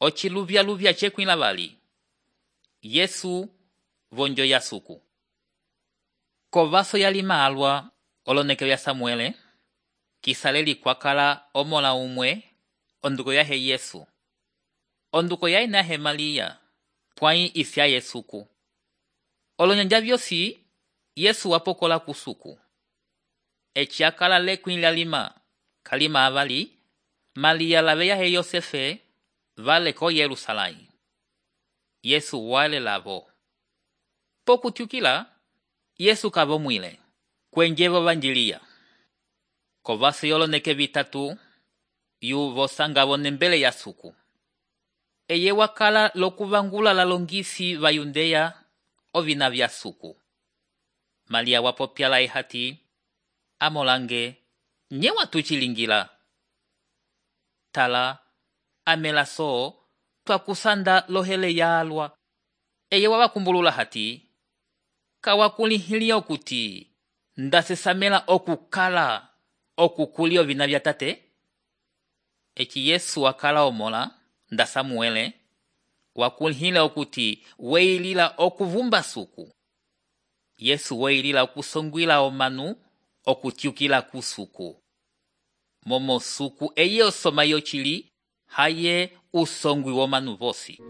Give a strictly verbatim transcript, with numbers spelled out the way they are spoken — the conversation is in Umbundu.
ociluvyaluvya cekwĩla vali. Yesu vonjo ya suku. Kovaso yalima alwa oloneke ya Samuele, kisaleli kwakala omola umwe, onduko yahe Yesu. Onduko yahe nahe Malia, pwai isya Yesuku. Olonyanja vyosi, Yesu wapokola kusuku. Eci akala lekwĩla lima, kalima avali, Malia lave yahe Yosefe, vale ko Yerusalai. Yesu wale lavo. Pokutyukila, Yesu kavo mwile, kwenjevo vanjilia. Kovaso yoloneke vitatu, yu vosangavo nembele ya suku. Eye wakala lokuvangula lalongisi va Yudea ovina vya suku. Malia wapopyala ehati, amolange, nye watuchilingila. Tala, amela so, twakusanda lohele ya alwa. Eye wawakumbulula hati, kawakulihili okuti, ndasesamela okukala, okukuli ovina vya tate. Eci Yesu wakala omola, nda Samuele, wakulihile okuti, weilila okuvumba suku. Yesu weilila okusongwila omanu, okutyukila kusuku. Momo suku eye osoma yochili, haye usongwi womanu vosi.